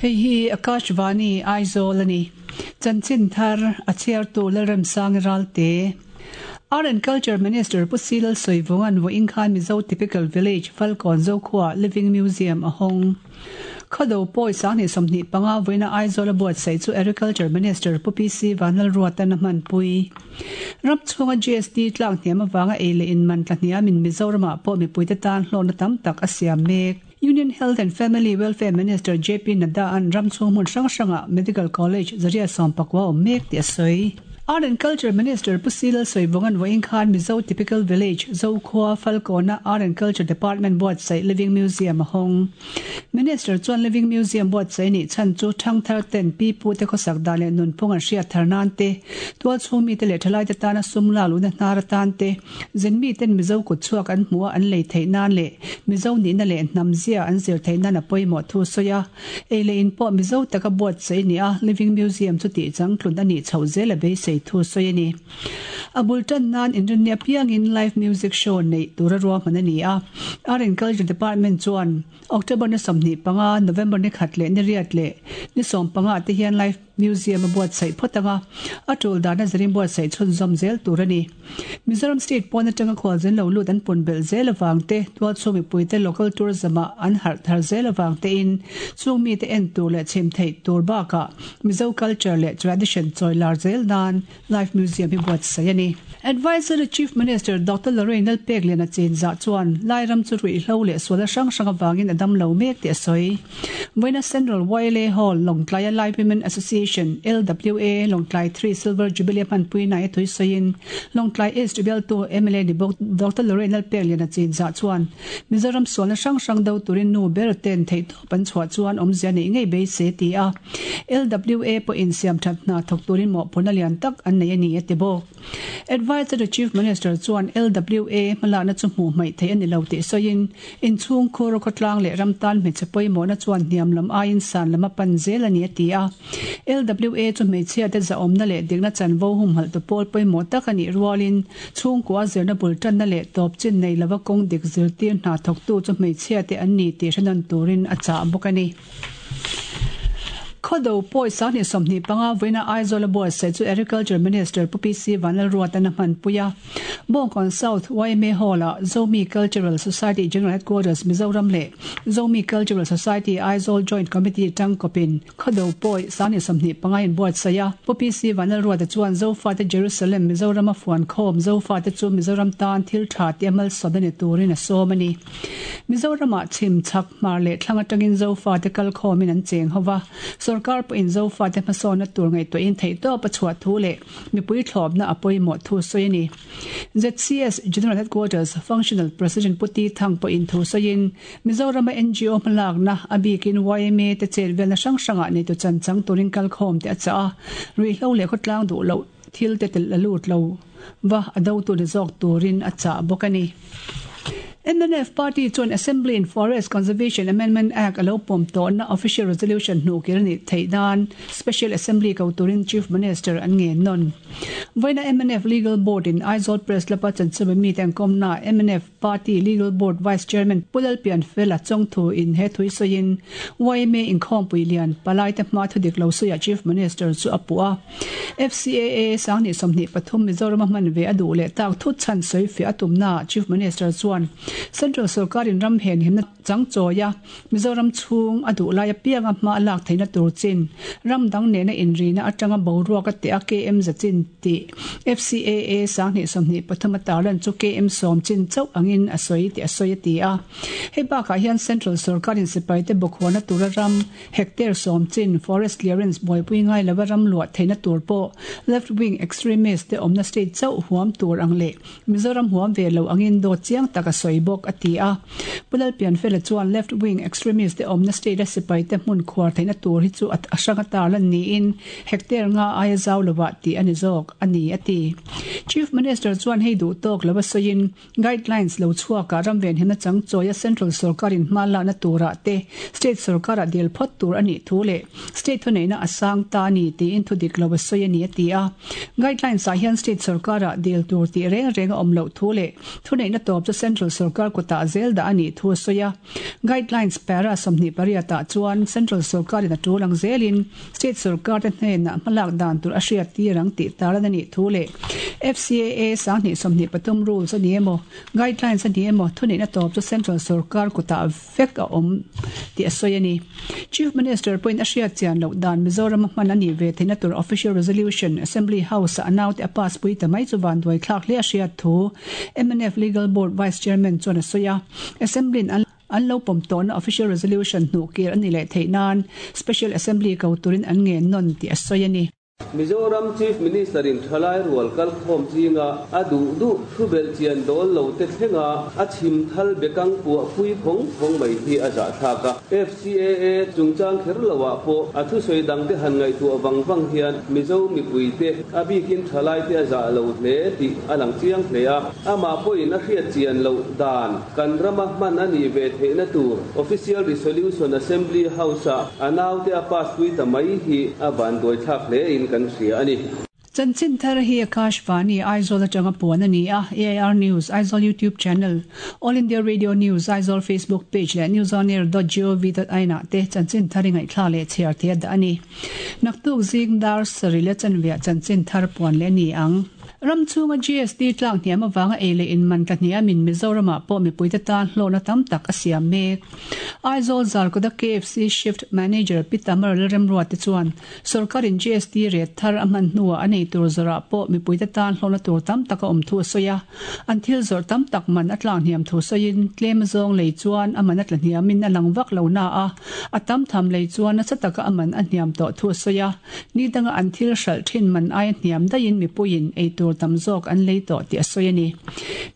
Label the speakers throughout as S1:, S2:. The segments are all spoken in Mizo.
S1: Hei hi Akashvani Aizawl a ni. Chanchin thar a chhiartu Lalremsangi Ralte. Art and Culture Minister Pu Si Lalsawivunga'n vawiin khan Mizo Typical Village Falkawn Zokhua Living Museum a hawng. Khawdo pawi 2025 vawiina Aizawl a buatsaih chu Agriculture Minister Pu PC Vanlalruata'n a hmanpui. Ram chhunga GST tlak hniam avanga ei leh in man tla hniamin Mizoramah pawh mipuite tan hlawkna tam tak a siam mek. Union Health and Family Welfare Minister JP Nadda-a'n ram chhung hmun hrang hrangah Medical College zariat sawmpakua a awm mek tih a sawi. Art and Culture Minister Pu Si Lalsawivunga'n vawiin khan Mizo Typical Village, Zokhua, Falkawna Art and Culture Department buatsaih Living Museum a hawng. Minister chuan Living Museum buatsaih nih chhan chu thangthar ten pi pu te khawsak dan leh nunphung an hriat thar nan te, tualchhung mite leh thalaite tana sum lak luhna hnar atan te, zin miten Mizo kut chhuak an hmuh a an lei theih nan leh Mizo nihna leh hnam zia an zir theih nan a pawimawh thu sawi a. Ei leh in pawh Mizo taka buatsaih ni a, Living Museum chu tih changtlun a nih chhoh zel a beisei thu sawi a ni. A bul tan nan inrinni apiangin live music show neih tura ruahman a ni a. Art and Culture Department chuan October ni 25, November ni khat leh ni riat leh ni 15 ah te hian live museum a buatsaih phawt ang a, a tul dana zirin buatsaih chhunzawm zel tur a ni. Mizoram state pawn atanga khualzin lo lut an pun belh zel avang te, tualchhung mipuite local tourism ah an harh thar zel avang tein chung mite en tur leh chhim theih tur bakah Mizo culture leh tradition chawi lar zel nan Life Museum hi buatsaih a ni. Advisory Chief Minister Doctor Lorraine Lalpekliana chinzah chuan Lairam chu ruihhlo leh sualna hrang hrang avangin a dam lo mek tih a sawi. Vawiina Central YLA Hall, Lawngtlaia Lai Women Association, LWA, Lawngtlai 3 Silver Jubilee a hmanpui nai a tui sawiin Lawngtlai East bialtu mla ni bawk Doctor Lorraine Lalpekliana chinzah chuan Mizoram sualna hrang hrang do turin nu ber ten theihtawp an chhuah chuan awmzia neih ngei beisei a ti a. LWA pawhin siamthat hna thawk turin mawhphurhna lian tak an nei a ni a ti bawk. Adviser to Chief Minister chuan LWA hmalakna chu hmuh hmaih theih a ni lo tih sawiin, inchhung khur khawtlang leh ram tan hmeichhe pawimawhna chuan hniam lam aiin san lam a pan zel a ni a ti a. LWA chu hmeichhiate zahawmna leh dikna chanvo humhalh tu pawl pawimawh tak a nih rualin chhungkua zirna bul tanna leh tawp chin nei lova kawng dik zirtir hna thawktu chu hmeichhiate an ni tih hre nawn turin a chah bawk a ni. Khawdo pawi 2025 vawiina Aizawl a buatsaih chu Agriculture Minister Pu PC Vanlalruata'n a hmanpui a. Bawngkawn South yma Hall-ah Zomi Cultural Society General Headquarters Mizoram leh Zomi Cultural Society Aizawl Joint Committee tangkawpin Khawdo pawi 2025 in buatsaih a. Pu PC Vanlalruata chuan Zofate Jerusalem Mizoram a fuan khawm Zofate chu Mizoram tan thil tha tia malsawmna ni turin a sawm a ni. Mizoramah chhim, chhak, hmar leh thlang atangin Zofate kal khawmin an cheng ho va, sorkar pawhin Zofate hmasawnna tur ngaihtuahin theihtawp a chhuah thu leh mipui thlawpna a pawimawh thu sawi a ni. ZCS General Headquarters Functional President Pu Ti Thang pawhin thu sawiin, Mizorama NGO hmalakna, a bikin yma te chet velna hrang hrangah neitu chan chang turin kal khawm te a chah a, ruihhlo leh khawtlang duh loh thil te telh a lut lo va a dotu ni zawk turin a chah bawk a ni. Mnf party chuan Assembly in Forest Conservation Amendment Act a lo pawm tawhna official resolution hnuhkir a nih theih nan Special Assembly ko turin Chief Minister an ngen nawn. Vawiina mnf Legal Board in Aizawl Press Club a chanchinbu mite an kawmnaah mnf Party Legal Board Vice Chairman Pu Lalpianfela Chawngthu in he thui sawiin yma inkhawmpui lian palaite hma thudik lo sawiah Chief Minister chu a puh a. FCAA 2023 Mizoram a hman ve a duh leh tak thut chhan sawi fiah a tumnaah Chief Minister chuan Central sorkarin ram hen himna chang chawi a, Mizoram chhung a duh lai apianga hma a lak theihna tur chin, ram dang nena inrina atanga boruak a teh a KM za chin tih FCAA 2023 a tarlan chu KM sawm chin chauh angin a sawi tih a sawi a ti a. Hei bakah hian Central sorkarin sipaite bawkhuana tura ram hectare sawm chin forest clearance buaipui ngai lova ram luah theihna tur pawh left wing extremist te awmna state chauh huam tur ang leh Mizoram huam ve lo angin dawt chiang tak a sawi bawk, a ti a. Pu Lalpianfela chuan left wing extremist te awmna state a sipai te hmun khuar theihna tur hi chu a hrang a tarlan niin hectare nga aia zau lovah tih a ni zawk a ni, a ti. Chief Minister chuan hei duh tawk lova sawiin guidelines lo chhuakah ram venhimna changchawia central sorkarin hma lakna turah te state sorkarah dil phawt tur a nih thu leh state thuneihna a sang ta a ni tiin thudik lo a sawi a ni, a ti a. Guidelines ah hian state sorkarah dil tur tih reng reng a awm loh thu leh thuneihna tawp chu central sorkar. sorkar kutah zel dah a nih thu a sawi a. Guidelines para 28 ah chuan central sorkarin a tul ang zelin state sorkar te hnenah hmalak dan tur a hriat tir ang tih tarlan a nih thu leh FCAA 2023 rules a ni emaw guidelines a ni emaw thuneihna tawp chu central sorkar kutah vek a awm tih a sawi a ni. Chief Minister pawhin a hriat chian loh dan Mizoram a hman a nih ve theihna tur Official Resolution Assembly House-a a naute a pass pui ta mai chu vanduai thlak hle a hriat thu mnf Legal Board Vice Chairman chuan a sawi a. Assembly-in an an lo pawm tawhna Official Resolution hnuh kir a ni leh theih nan Special Assembly ko turin an ngen nawn tih a sawi a ni.
S2: Mizoram Chief Minister in thalai rual kalkhawm zinga a duh duh thu belhchian dawl lo te thlenga a chhim thal bekang puah pui phawng phawng mai hi a zahthlak a. FCAA chungchang kher lo ah pawh a thusawi dang te han ngaihtuah vang vang hian Mizo mipui te a bikin thalai te a zah lo hle tih a lang chiang hle a. Amah pawhin a hriat chian loh dan kan rama hman a nih ve theihna tur Official Resolution Assembly House-ah a naute a pass pui ta mai hi a vanduaithlak hle in kan hria a ni.
S1: Chanchin thar hi Akashvani, Aizawl atanga puan a ni a, AIR News, Aizawl YouTube Channel, All India Radio News, Aizawl Facebook Page leh newsonair dot gov dot in ah te chanchin thar i ngaihthlak leh chhiar thei a dah a ni. Naktuk zing dar sarih leh chanveah chanchin thar puan leh a ni ang. Ram chhunga GST tlak hniam avanga ei leh in man tla hniamin Mizoramah pawh mipuite tan hlawhna tam tak a siam mek. Aizawl Zarkawta KFC Shift Manager Pi Tamar Lalremruate chuan sawrkarin GST rate thar a hman hnuah a nei tur zawrah pawh mipuite tan hlawhna tur tam tak a awm thu a sawi a. An thil zawrh tam tak man a tlak hniam thu sawiin tlem zawng lei chuan a man a tla hniamin a lang vak lo na a, a tam tham lei chuan nasa taka a man a hniam tawh thu a sawi a. Ni danga an thil hralh thin man aia hniam daihin mipuiin ei tur tam zawk an lei tawh tih a sawi a ni.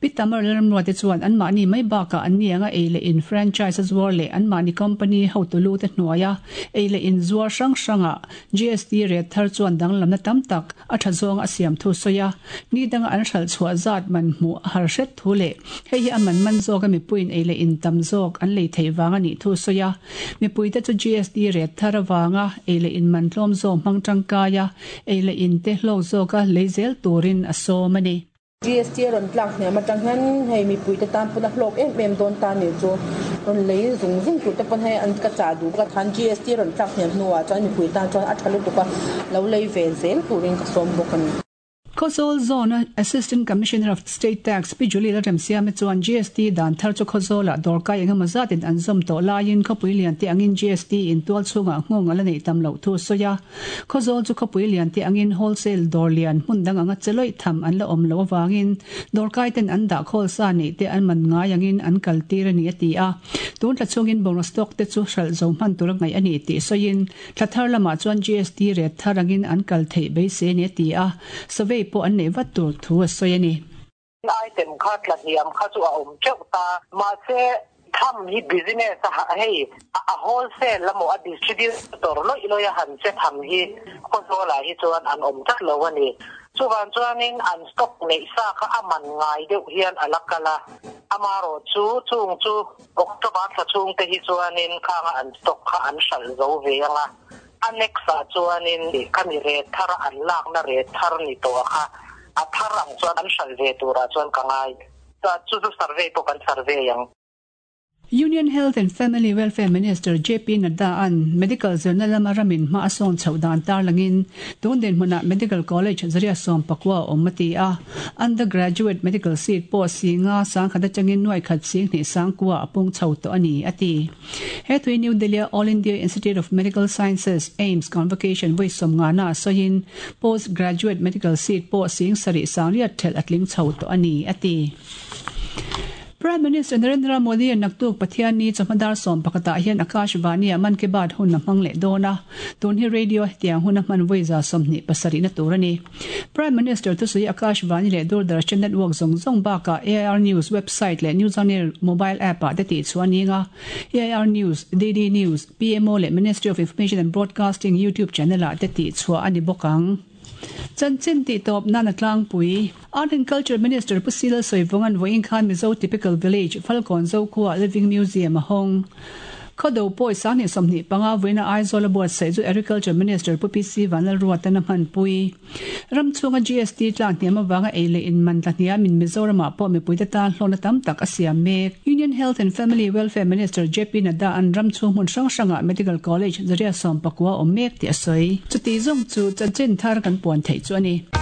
S1: Pi Tamar Lalramruate chuan anmahni mai bakah an nianga ei leh in franchise a zuar leh anmahni company hotu lu te hnuaia ei leh in zuar hrang hrangah GST rate thar chuan danglamna tam tak a tha zawnga a siam thu sawi a. Ni danga an hralh chhuah zat man hmuh a har hret thu leh hei hi a man man zawka mipuiin ei leh in tam zawk an lei theih vang a nih thu sawi a. Mipuite chu GST rate thar avanga ei leh in man tlawm zawk hmang tangkai a, ei leh in te hlawk zawka lei zel turin a sawm a ni.
S3: GST a rawn tlak hniam atang hian hei mipuite tan pawn a hlawk em em dawn ta nih chu rawn lei zung zung tur te pawn hei an ka chah duh ka khan GST a rawn tlak hniam hnuah chuan mipui tan chuan a tha lutuk a, lo lei ve zel turin ka sawm bawk a ni.
S1: Khawzawl Zone-a Assistant Commissioner of State Tax Pi Julie Lalremsiame chuan GST dan thar chu Khawzawlah dawrkai engemaw zatin an zawm tawh laiin khawpui lian te angin GST in tual chhungah nghawng a la neih tam loh thu a sawi a. Khawzawl chu khawpui lian te angin wholesale dawr lian hmun dang anga che lawih tham an la awm loh avangin dawrkai ten an dah khawl sa neih te an man ngai angin an kal tir a ni a ti a. Tun thla chhungin bungraw stock te chu hralh zo hman tur a ngaih a ni tih sawiin Thla thar lamah chuan GST rate thar angin an kal theih beisei a ni a ti a, survey pawh an neih vat tur thu a sawi a ni.
S4: Item kha tla hniam kha chu a awm teuh ta, mahse tham hi business a hei a wholesale emaw a distributor lawih lawih a han che tham hi Khawzawlah hi chuan an awm tlat lo a ni. Chuvang chuanin an stock neih sa kha a man ngai deuh hian a la kal a, amarawh chu chung chu October thla chhung te hi chuanin khanga an stock kha an hralh zo ve ang a, a next ah chuanin khami rate thar a an lakna rate thar ni tawh kha a thar ang chuan an hralh ve turah chuan ka ngai. Chu chu survey pawh kan survey ang.
S1: Union Health and Family Welfare Minister JP Nadda an medical zirna lama ramin hma a sawn chhoh dan tarlangin tun dinhmunah Medical College zaria 14 a awm a ti a. Undergraduate medical seat pawh singa sangkhat atangin nuai khat sing hnih sangkua a pung chho tawh a ni, a ti. He tui New Delhi-a All India Institute of Medical Sciences, AIIMS, convocation vawi sawmngana sawiin postgraduate medical seat pawh sing sarih sangriat thelh a tling chho tawh a ni, a ti. Prime Minister Narendra Modi-a naktuk Pathianni chawhma dar 11 ah hian Akashvani-ah Mann Ki Baat hun a hmang leh dawn a, tun hi radio hetiang hun a hman vawi 27 na tur a ni. Prime Minister thusawi Akashvani leh Doordarshan network zawng zawng bakah AIR News website leh News On Air mobile app-ah te tih chhuah a ni ang a, AIR News, DD News, PMO leh Ministry of Information and Broadcasting YouTube channel-ah te tih chhuah a ni bawk ang. Chanchin tih tawp nan a tlangpui. Art and Culture Minister Pu Sila Sawivunga'n vawiin khan Mizo Typical Village, Falkawn Zokhua Living Museum a hawng. Khawdo pawi 2025 vawiina Aizawl a buatsaih chu Agriculture Minister Pu PC Vanlalruatan a hmanpui. Ram chhunga GST tlak hniam avanga ei leh in man tla hniamin Mizoramah pawh mipuite tan hlawhna tam tak a siam mek. Union Health and Family Welfare Minister JP Nadda an ram chhung hmun hrang hrangah Medical College zaria 19 awm mek tih a sawi. Chuti zawng chu chanchin thar kan puan theih chu a ni.